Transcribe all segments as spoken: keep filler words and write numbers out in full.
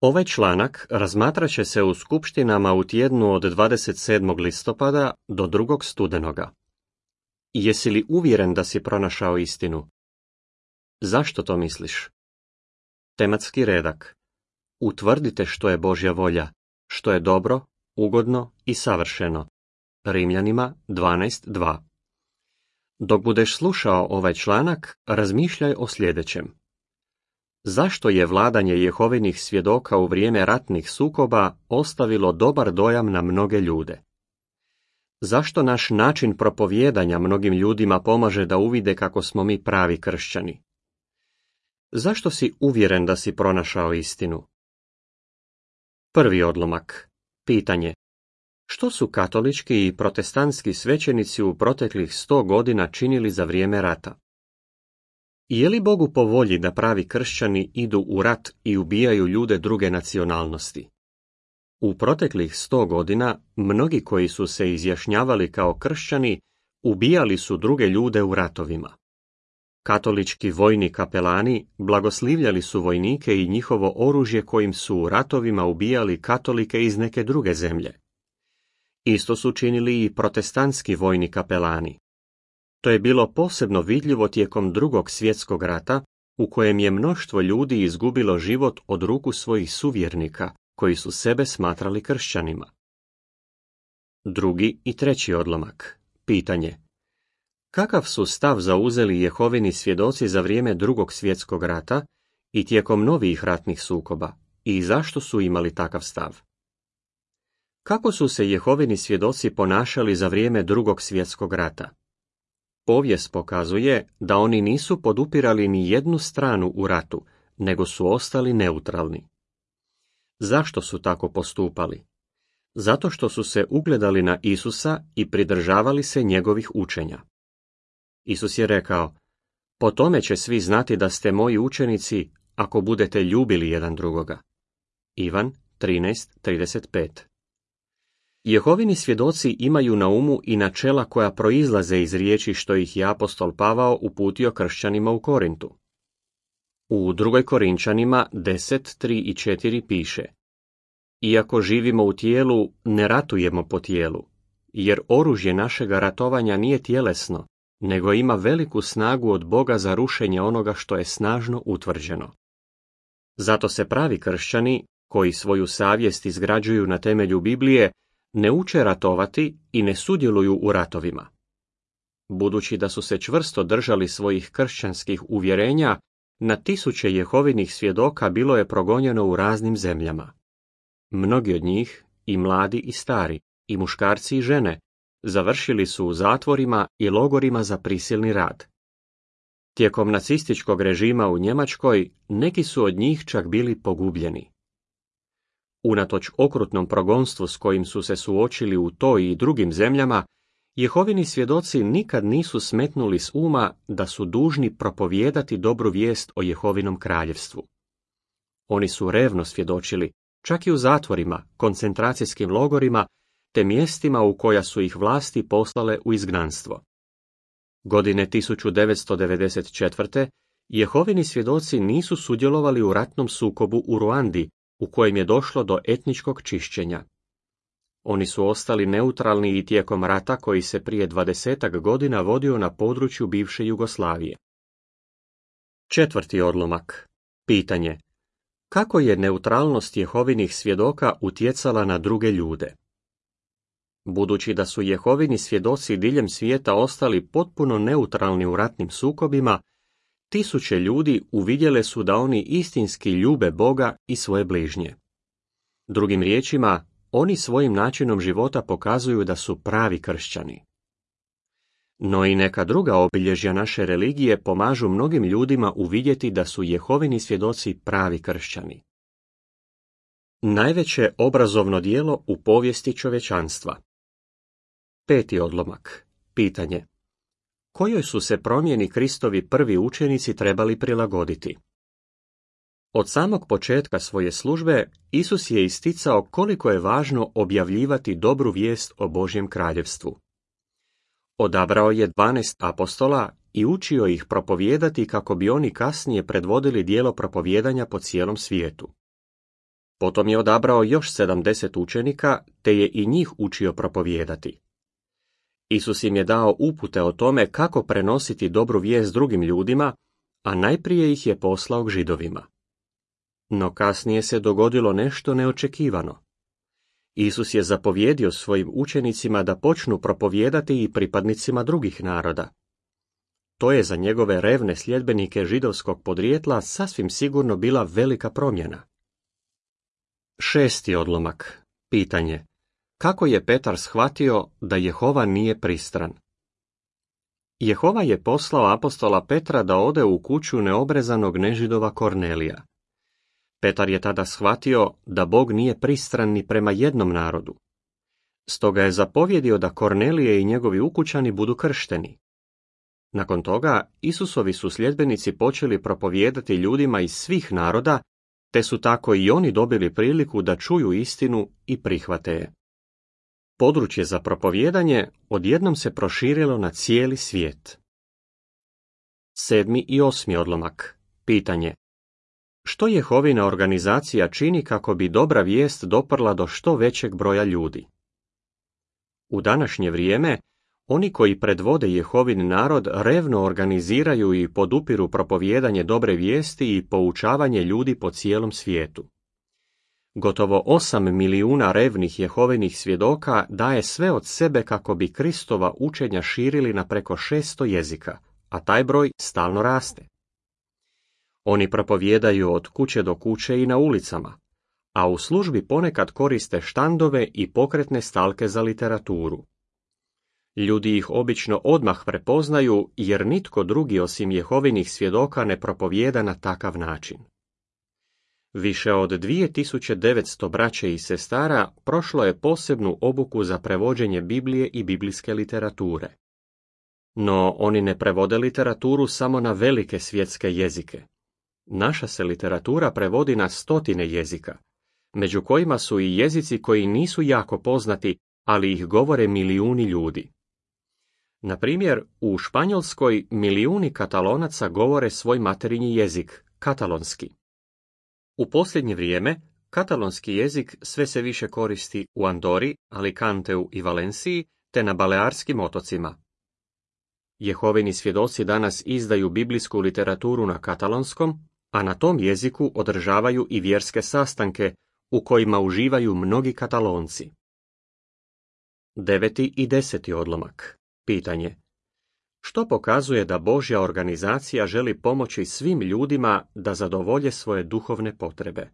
Ovaj članak razmatrat će se u skupštinama u tjednu od dvadeset sedmog listopada do drugog studenoga. Jesi li uvjeren da si pronašao istinu? Zašto to misliš? Tematski redak. Utvrdite što je Božja volja, što je dobro, ugodno i savršeno. Rimljanima dvanaest dva. Dok budeš slušao ovaj članak, razmišljaj o sljedećem. Zašto je vladanje Jehovinih svjedoka u vrijeme ratnih sukoba ostavilo dobar dojam na mnoge ljude? Zašto naš način propovijedanja mnogim ljudima pomaže da uvide kako smo mi pravi kršćani? Zašto si uvjeren da si pronašao istinu? Prvi odlomak. Pitanje. Što su katolički i protestantski svećenici u proteklih sto godina činili za vrijeme rata? Je li Bogu po volji da pravi kršćani idu u rat i ubijaju ljude druge nacionalnosti? U proteklih sto godina mnogi koji su se izjašnjavali kao kršćani ubijali su druge ljude u ratovima. Katolički vojni kapelani blagoslivljali su vojnike i njihovo oružje kojim su u ratovima ubijali katolike iz neke druge zemlje. Isto su činili i protestantski vojni kapelani. To je bilo posebno vidljivo tijekom drugog svjetskog rata, u kojem je mnoštvo ljudi izgubilo život od ruku svojih suvjernika, koji su sebe smatrali kršćanima. Drugi i treći odlomak. Pitanje. Kakav su stav zauzeli Jehovini svjedoci za vrijeme drugog svjetskog rata i tijekom novijih ratnih sukoba, i zašto su imali takav stav? Kako su se Jehovini svjedoci ponašali za vrijeme drugog svjetskog rata? Povijest pokazuje da oni nisu podupirali ni jednu stranu u ratu, nego su ostali neutralni. Zašto su tako postupali? Zato što su se ugledali na Isusa i pridržavali se njegovih učenja. Isus je rekao, po tome će svi znati da ste moji učenici ako budete ljubili jedan drugoga. Ivan trinaest trideset pet. Jehovini svjedoci imaju na umu i načela koja proizlaze iz riječi što ih je apostol Pavao uputio kršćanima u Korintu. U drugoj Korinčanima deset tri i četiri piše: Iako živimo u tijelu, ne ratujemo po tijelu, jer oružje našega ratovanja nije tjelesno, nego ima veliku snagu od Boga za rušenje onoga što je snažno utvrđeno. Zato se pravi kršćani, koji svoju savjest izgrađuju na temelju Biblije, ne uče ratovati i ne sudjeluju u ratovima. Budući da su se čvrsto držali svojih kršćanskih uvjerenja, na tisuće Jehovinih svjedoka bilo je progonjeno u raznim zemljama. Mnogi od njih, i mladi i stari, i muškarci i žene, završili su u zatvorima i logorima za prisilni rad. Tijekom nacističkog režima u Njemačkoj, neki su od njih čak bili pogubljeni. Unatoč okrutnom progonstvu s kojim su se suočili u toj i drugim zemljama, Jehovini svjedoci nikad nisu smetnuli s uma da su dužni propovijedati dobru vijest o Jehovinom kraljevstvu. Oni su revno svjedočili, čak i u zatvorima, koncentracijskim logorima, te mjestima u koja su ih vlasti poslale u izgnanstvo. Godine tisuću devetsto devedeset četvrte. Jehovini svjedoci nisu sudjelovali u ratnom sukobu u Ruandi, u kojem je došlo do etničkog čišćenja. Oni su ostali neutralni i tijekom rata koji se prije dvadesetak godina vodio na području bivše Jugoslavije. Četvrti odlomak. Pitanje. Kako je neutralnost Jehovinih svjedoka utjecala na druge ljude? Budući da su Jehovini svjedoci diljem svijeta ostali potpuno neutralni u ratnim sukobima, tisuće ljudi uvidjele su da oni istinski ljube Boga i svoje bližnje. Drugim riječima, oni svojim načinom života pokazuju da su pravi kršćani. No i neka druga obilježja naše religije pomažu mnogim ljudima uvidjeti da su Jehovini svjedoci pravi kršćani. Najveće obrazovno djelo u povijesti čovječanstva. Peti odlomak. Pitanje. Kojoj su se promjeni Kristovi prvi učenici trebali prilagoditi? Od samog početka svoje službe, Isus je isticao koliko je važno objavljivati dobru vijest o Božjem kraljevstvu. Odabrao je dvanaest apostola i učio ih propovijedati kako bi oni kasnije predvodili djelo propovijedanja po cijelom svijetu. Potom je odabrao još sedamdeset učenika, te je i njih učio propovijedati. Isus im je dao upute o tome kako prenositi dobru vijest drugim ljudima, a najprije ih je poslao k Židovima. No kasnije se dogodilo nešto neočekivano. Isus je zapovjedio svojim učenicima da počnu propovijedati i pripadnicima drugih naroda. To je za njegove revne sljedbenike židovskog podrijetla sasvim sigurno bila velika promjena. Šesti odlomak. Pitanje. Kako je Petar shvatio da Jehova nije pristran? Jehova je poslao apostola Petra da ode u kuću neobrezanog nežidova Kornelija. Petar je tada shvatio da Bog nije pristran ni prema jednom narodu. Stoga je zapovjedio da Kornelije i njegovi ukućani budu kršteni. Nakon toga, Isusovi su sljedbenici počeli propovijedati ljudima iz svih naroda, te su tako i oni dobili priliku da čuju istinu i prihvate je. Područje za propovijedanje odjednom se proširilo na cijeli svijet. Sedmi i osmi odlomak. Pitanje. Što Jehovina organizacija čini kako bi dobra vijest doprla do što većeg broja ljudi? U današnje vrijeme, oni koji predvode Jehovin narod revno organiziraju i podupiru propovijedanje dobre vijesti i poučavanje ljudi po cijelom svijetu. Gotovo osam milijuna revnih Jehovinih svjedoka daje sve od sebe kako bi Kristova učenja širili na preko šesto jezika, a taj broj stalno raste. Oni propovijedaju od kuće do kuće i na ulicama, a u službi ponekad koriste štandove i pokretne stalke za literaturu. Ljudi ih obično odmah prepoznaju jer nitko drugi osim Jehovinih svjedoka ne propovijeda na takav način. Više od dvije tisuće devetsto braće i sestara prošlo je posebnu obuku za prevođenje Biblije i biblijske literature. No oni ne prevode literaturu samo na velike svjetske jezike. Naša se literatura prevodi na stotine jezika, među kojima su i jezici koji nisu jako poznati, ali ih govore milijuni ljudi. Na primjer, u Španjolskoj milijuni Katalonaca govore svoj materinji jezik, katalonski. U posljednje vrijeme, katalonski jezik sve se više koristi u Andori, Alicanteu i Valenciji, te na Balearskim otocima. Jehovini svjedoci danas izdaju biblijsku literaturu na katalonskom, a na tom jeziku održavaju i vjerske sastanke, u kojima uživaju mnogi Katalonci. Deveti i deseti odlomak. Pitanje. Što pokazuje da Božja organizacija želi pomoći svim ljudima da zadovolje svoje duhovne potrebe?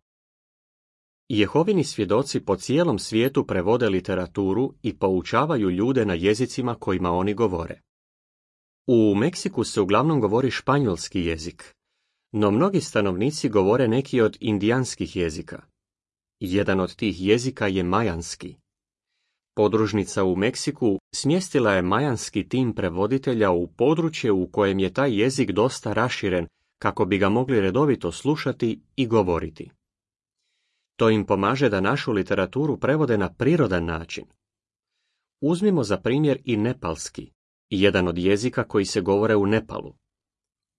Jehovini svjedoci po cijelom svijetu prevode literaturu i poučavaju ljude na jezicima kojima oni govore. U Meksiku se uglavnom govori španjolski jezik, no mnogi stanovnici govore neki od indijanskih jezika. Jedan od tih jezika je majanski. Podružnica u Meksiku smjestila je majanski tim prevoditelja u područje u kojem je taj jezik dosta raširen, kako bi ga mogli redovito slušati i govoriti. To im pomaže da našu literaturu prevode na prirodan način. Uzmimo za primjer i nepalski, jedan od jezika koji se govore u Nepalu.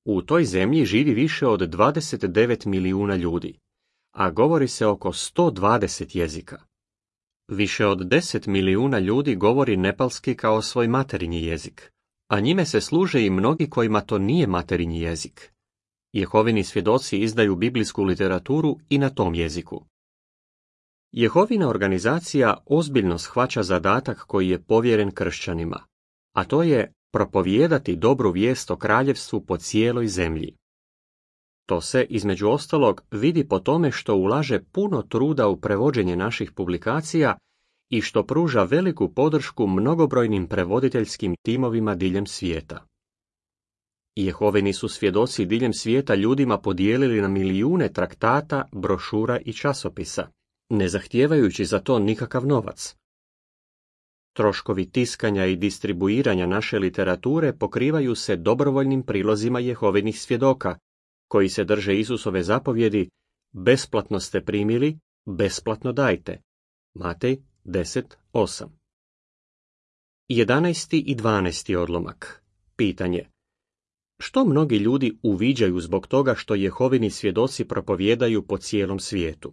U toj zemlji živi više od dvadeset devet milijuna ljudi, a govori se oko sto dvadeset jezika. Više od deset milijuna ljudi govori nepalski kao svoj materinji jezik, a njime se služe i mnogi kojima to nije materinji jezik. Jehovini svjedoci izdaju biblijsku literaturu i na tom jeziku. Jehovina organizacija ozbiljno shvaća zadatak koji je povjeren kršćanima, a to je propovijedati dobru vijest o kraljevstvu po cijeloj zemlji. To se, između ostalog, vidi po tome što ulaže puno truda u prevođenje naših publikacija i što pruža veliku podršku mnogobrojnim prevoditeljskim timovima diljem svijeta. Jehovini su svjedoci diljem svijeta ljudima podijelili na milijune traktata, brošura i časopisa, ne zahtijevajući za to nikakav novac. Troškovi tiskanja i distribuiranja naše literature pokrivaju se dobrovoljnim prilozima Jehovinih svjedoka, koji se drže Isusove zapovjedi: besplatno ste primili, besplatno dajte. Matej deset osam. Jedanaesti i dvanaesti odlomak. Pitanje. Što mnogi ljudi uviđaju zbog toga što Jehovini svjedoci propovijedaju po cijelom svijetu?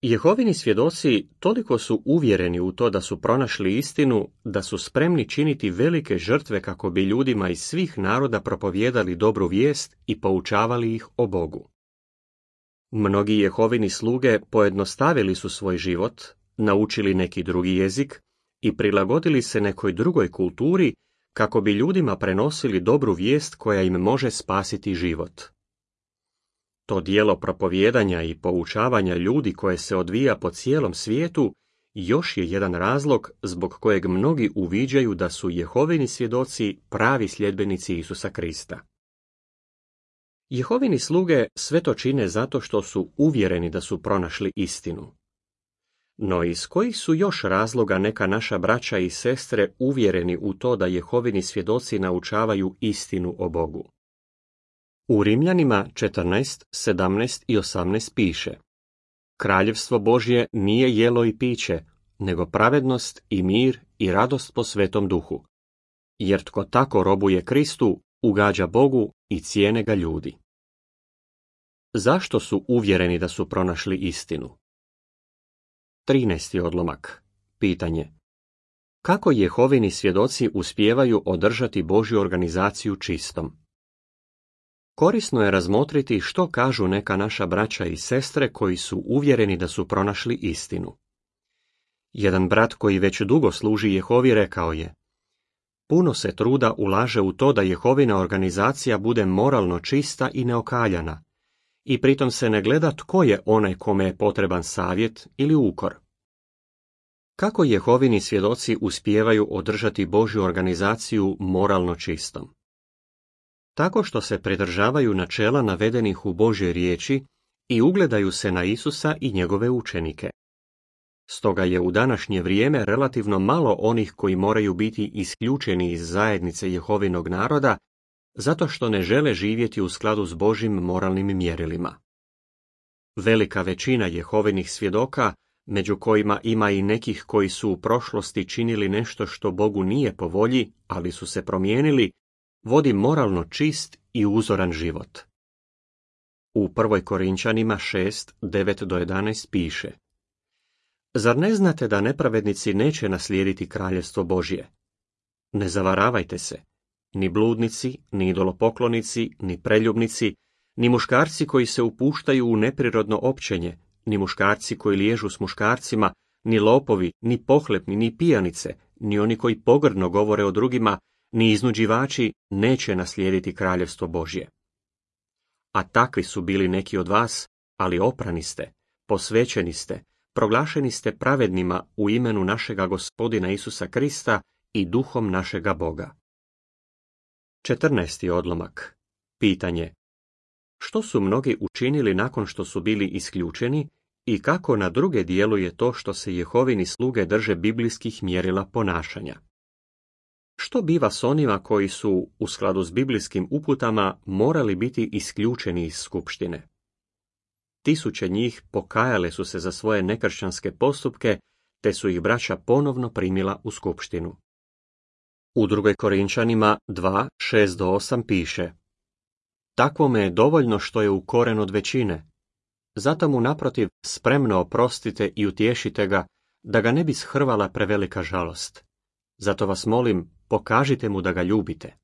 Jehovini svjedoci toliko su uvjereni u to da su pronašli istinu, da su spremni činiti velike žrtve kako bi ljudima iz svih naroda propovijedali dobru vijest i poučavali ih o Bogu. Mnogi Jehovini sluge pojednostavili su svoj život, naučili neki drugi jezik i prilagodili se nekoj drugoj kulturi kako bi ljudima prenosili dobru vijest koja im može spasiti život. To djelo propovijedanja i poučavanja ljudi koje se odvija po cijelom svijetu još je jedan razlog zbog kojeg mnogi uviđaju da su Jehovini svjedoci pravi sljedbenici Isusa Krista. Jehovini sluge sve to čine zato što su uvjereni da su pronašli istinu. No iz kojih su još razloga neka naša braća i sestre uvjereni u to da Jehovini svjedoci naučavaju istinu o Bogu? U Rimljanima četrnaest, sedamnaest i osamnaest piše: Kraljevstvo Božje nije jelo i piće, nego pravednost i mir i radost po Svetom Duhu. Jer tko tako robuje Kristu, ugađa Bogu i cijene ga ljudi. Zašto su uvjereni da su pronašli istinu? trinaesti odlomak. Pitanje: kako Jehovini svjedoci uspijevaju održati Božju organizaciju čistom? Korisno je razmotriti što kažu neka naša braća i sestre koji su uvjereni da su pronašli istinu. Jedan brat koji već dugo služi Jehovi rekao je: puno se truda ulaže u to da Jehovina organizacija bude moralno čista i neokaljana, i pritom se ne gleda tko je onaj kome je potreban savjet ili ukor. Kako Jehovini svjedoci uspijevaju održati Božju organizaciju moralno čistom? Tako što se pridržavaju načela navedenih u Božjoj riječi i ugledaju se na Isusa i njegove učenike. Stoga je u današnje vrijeme relativno malo onih koji moraju biti isključeni iz zajednice Jehovinog naroda zato što ne žele živjeti u skladu s Božjim moralnim mjerilima. Velika većina Jehovinih svjedoka, među kojima ima i nekih koji su u prošlosti činili nešto što Bogu nije po volji, ali su se promijenili, vodi moralno čist i uzoran život. U prvoj Korinčanima šest, devet do jedanaest piše: Zar ne znate da nepravednici neće naslijediti kraljevstvo Božje? Ne zavaravajte se, ni bludnici, ni idolopoklonici, ni preljubnici, ni muškarci koji se upuštaju u neprirodno općenje, ni muškarci koji liježu s muškarcima, ni lopovi, ni pohlepni, ni pijanice, ni oni koji pogrdno govore o drugima, ni iznuđivači neće naslijediti kraljevstvo Božje. A takvi su bili neki od vas, ali oprani ste, posvećeni ste, proglašeni ste pravednima u imenu našega Gospodina Isusa Krista i duhom našega Boga. četrnaesti odlomak. Pitanje: što su mnogi učinili nakon što su bili isključeni i kako na druge djeluje to što se Jehovini sluge drže biblijskih mjerila ponašanja? Što biva s onima koji su, u skladu s biblijskim uputama, morali biti isključeni iz skupštine? Tisuće njih pokajale su se za svoje nekršćanske postupke, te su ih braća ponovno primila u skupštinu. U drugoj Korinčanima dva, šest do osam piše: takvome je dovoljno što je ukoren od većine, zato mu naprotiv spremno oprostite i utješite ga, da ga ne bi shrvala prevelika žalost. Zato vas molim, pokažite mu da ga ljubite.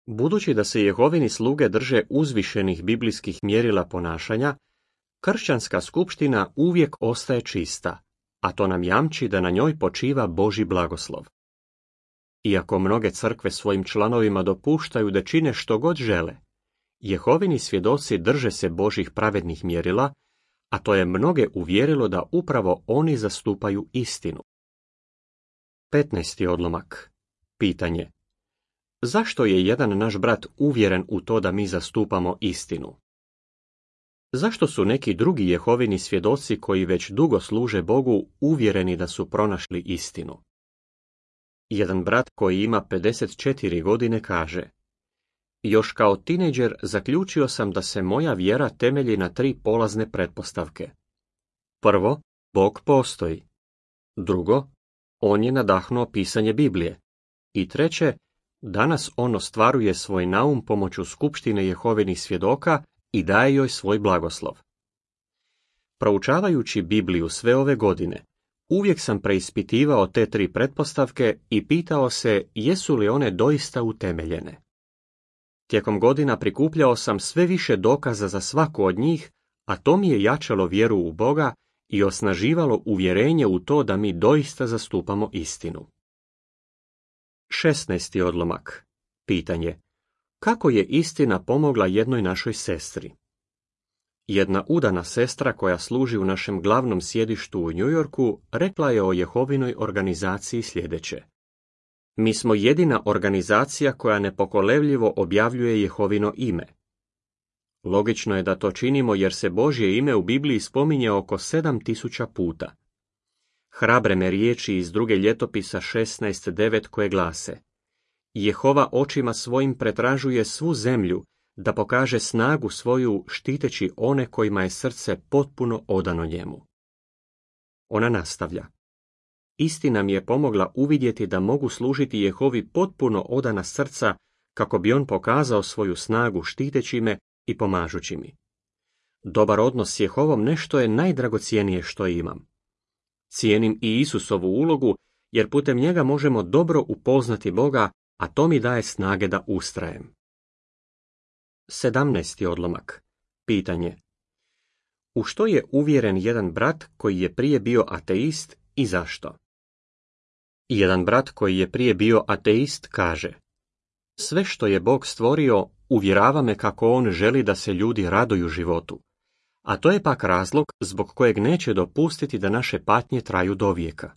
Budući da se Jehovini sluge drže uzvišenih biblijskih mjerila ponašanja, kršćanska skupština uvijek ostaje čista, a to nam jamči da na njoj počiva Božji blagoslov. Iako mnoge crkve svojim članovima dopuštaju da čine što god žele, Jehovini svjedoci drže se Božjih pravednih mjerila, a to je mnoge uvjerilo da upravo oni zastupaju istinu. petnaesti odlomak. Pitanje: zašto je jedan naš brat uvjeren u to da mi zastupamo istinu? Zašto su neki drugi Jehovini svjedoci koji već dugo služe Bogu uvjereni da su pronašli istinu? Jedan brat koji ima pedeset četiri godine kaže: još kao tinejdžer zaključio sam da se moja vjera temelji na tri polazne pretpostavke. Prvo, Bog postoji. Drugo, on je nadahnuo pisanje Biblije. I treće, danas on ostvaruje svoj naum pomoću skupštine Jehovinih svjedoka i daje joj svoj blagoslov. Proučavajući Bibliju sve ove godine, uvijek sam preispitivao te tri pretpostavke i pitao se jesu li one doista utemeljene. Tijekom godina prikupljao sam sve više dokaza za svaku od njih, a to mi je jačalo vjeru u Boga i osnaživalo uvjerenje u to da mi doista zastupamo istinu. šesnaesti odlomak. Pitanje. Kako je istina pomogla jednoj našoj sestri? Jedna udana sestra koja služi u našem glavnom sjedištu u New Yorku rekla je o Jehovinoj organizaciji sljedeće. Mi smo jedina organizacija koja nepokolevljivo objavljuje Jehovino ime. Logično je da to činimo jer se Božje ime u Bibliji spominje oko sedam tisuća puta. Hrabre me riječi iz druge ljetopisa šesnaest devet koje glase: Jehova očima svojim pretražuje svu zemlju da pokaže snagu svoju štiteći one kojima je srce potpuno odano njemu. Ona nastavlja. Istina mi je pomogla uvidjeti da mogu služiti Jehovi potpuno odana srca kako bi on pokazao svoju snagu štiteći me i pomažući mi. Dobar odnos s Jehovom nešto je najdragocjenije što imam. Cijenim i Isusovu ulogu jer putem njega možemo dobro upoznati Boga, a to mi daje snage da ustrajem. sedamnaesti odlomak. Pitanje. U što je uvjeren jedan brat koji je prije bio ateist i zašto? Jedan brat koji je prije bio ateist kaže: Sve što je Bog stvorio uvjerava me kako on želi da se ljudi raduju životu, a to je pak razlog zbog kojeg neće dopustiti da naše patnje traju dovijeka.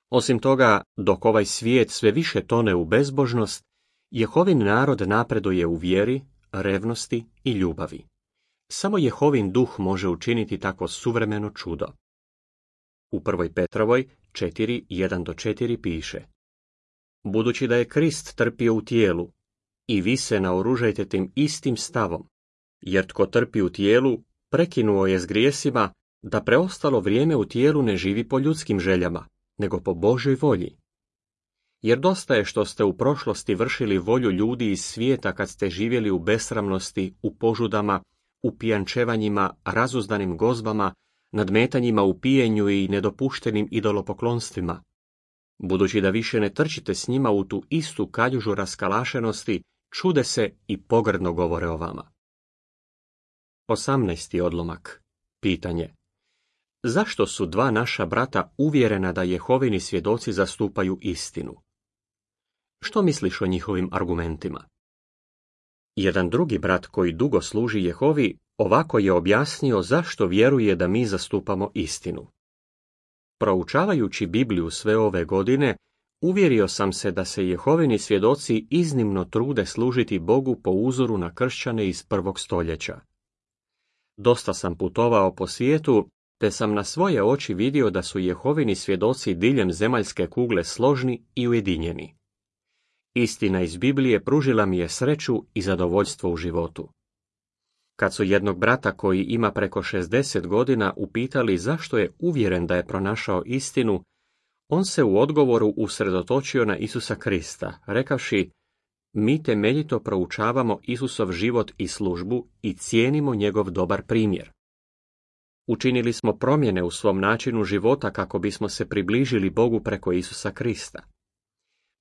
Osim toga, dok ovaj svijet sve više tone u bezbožnost, Jehovin narod napreduje u vjeri, revnosti i ljubavi. Samo Jehovin duh može učiniti tako suvremeno čudo. U prvoj Petrovoj četiri jedan do četiri piše: Budući da je Krist trpio u tijelu, i vi se naoružajte tim istim stavom, jer tko trpi u tijelu, prekinuo je s grijesima, da preostalo vrijeme u tijelu ne živi po ljudskim željama, nego po Božoj volji. Jer dosta je što ste u prošlosti vršili volju ljudi iz svijeta kad ste živjeli u besramnosti, u požudama, u pijančevanjima, razuzdanim gozbama, nadmetanjima u pijenju i nedopuštenim idolopoklonstvima. Budući da više ne trčite s njima u tu istu kaljužu raskalašenosti, čude se i pogrdno govore o vama. osamnaesti odlomak. Pitanje. Zašto su dva naša brata uvjerena da Jehovini svjedoci zastupaju istinu? Što misliš o njihovim argumentima? Jedan drugi brat koji dugo služi Jehovi ovako je objasnio zašto vjeruje da mi zastupamo istinu. Proučavajući Bibliju sve ove godine, uvjerio sam se da se Jehovini svjedoci iznimno trude služiti Bogu po uzoru na kršćane iz prvog stoljeća. Dosta sam putovao po svijetu, te sam na svoje oči vidio da su Jehovini svjedoci diljem zemaljske kugle složni i ujedinjeni. Istina iz Biblije pružila mi je sreću i zadovoljstvo u životu. Kad su jednog brata koji ima preko šezdeset godina upitali zašto je uvjeren da je pronašao istinu, on se u odgovoru usredotočio na Isusa Krista, rekavši: Mi temeljito proučavamo Isusov život i službu i cijenimo njegov dobar primjer. Učinili smo promjene u svom načinu života kako bismo se približili Bogu preko Isusa Krista.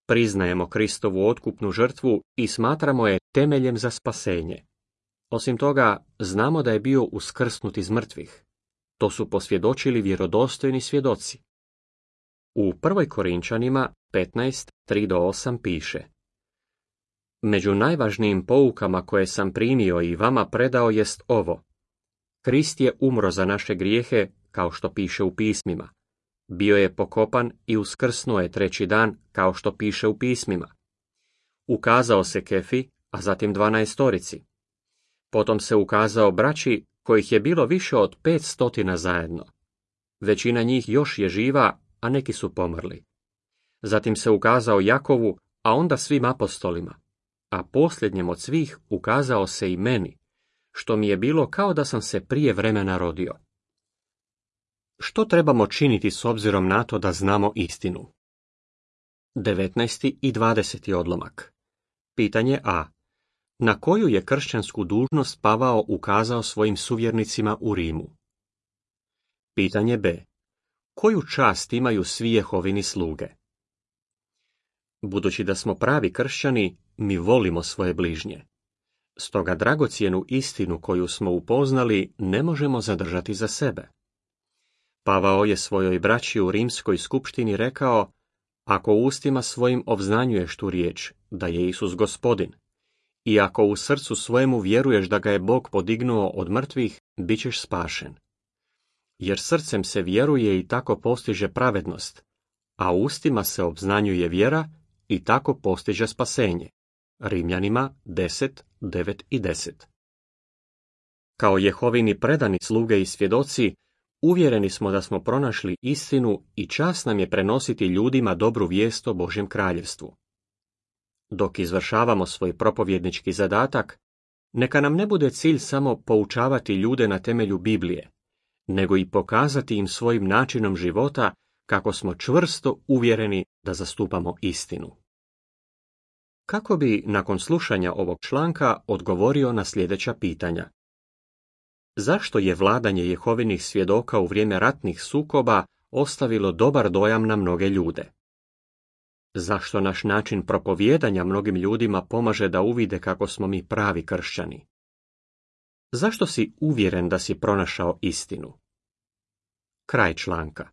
Priznajemo Kristovu otkupnu žrtvu i smatramo je temeljem za spasenje. Osim toga, znamo da je bio uskrsnut iz mrtvih. To su posvjedočili vjerodostojni svjedoci. U prvoj Korinčanima petnaest tri do osam piše: Među najvažnijim poukama koje sam primio i vama predao jest ovo: Krist je umro za naše grijehe, kao što piše u pismima. Bio je pokopan i uskrsnuo je treći dan, kao što piše u pismima. Ukazao se Kefi, a zatim dvanaestorici. Potom se ukazao braći, kojih je bilo više od pet stotina zajedno. Većina njih još je živa, a neki su pomrli. Zatim se ukazao Jakovu, a onda svim apostolima. A posljednjem od svih ukazao se i meni, što mi je bilo kao da sam se prije vremena rodio. Što trebamo činiti s obzirom na to da znamo istinu? devetnaesti i dvadeseti odlomak. Pitanje A. Na koju je kršćansku dužnost Pavao ukazao svojim suvjernicima u Rimu? Pitanje B. Koju čast imaju svi Jehovini sluge? Budući da smo pravi kršćani, mi volimo svoje bližnje. Stoga dragocjenu istinu koju smo upoznali ne možemo zadržati za sebe. Pavao je svojoj braći u rimskoj skupštini rekao: ako ustima svojim obznanjuješ tu riječ, da je Isus Gospodin, i ako u srcu svojemu vjeruješ da ga je Bog podignuo od mrtvih, bit ćeš spašen. Jer srcem se vjeruje i tako postiže pravednost, a ustima se obznanjuje vjera i tako postiže spasenje. Rimljanima deset, devet i deset. Kao Jehovini predani sluge i svjedoci, uvjereni smo da smo pronašli istinu i čast nam je prenositi ljudima dobru vijest o Božjem kraljevstvu. Dok izvršavamo svoj propovjednički zadatak, neka nam ne bude cilj samo poučavati ljude na temelju Biblije, nego i pokazati im svojim načinom života kako smo čvrsto uvjereni da zastupamo istinu. Kako bi, nakon slušanja ovog članka, odgovorio na sljedeća pitanja? Zašto je vladanje Jehovinih svjedoka u vrijeme ratnih sukoba ostavilo dobar dojam na mnoge ljude? Zašto naš način propovijedanja mnogim ljudima pomaže da uvide kako smo mi pravi kršćani? Zašto si uvjeren da si pronašao istinu? Kraj članka.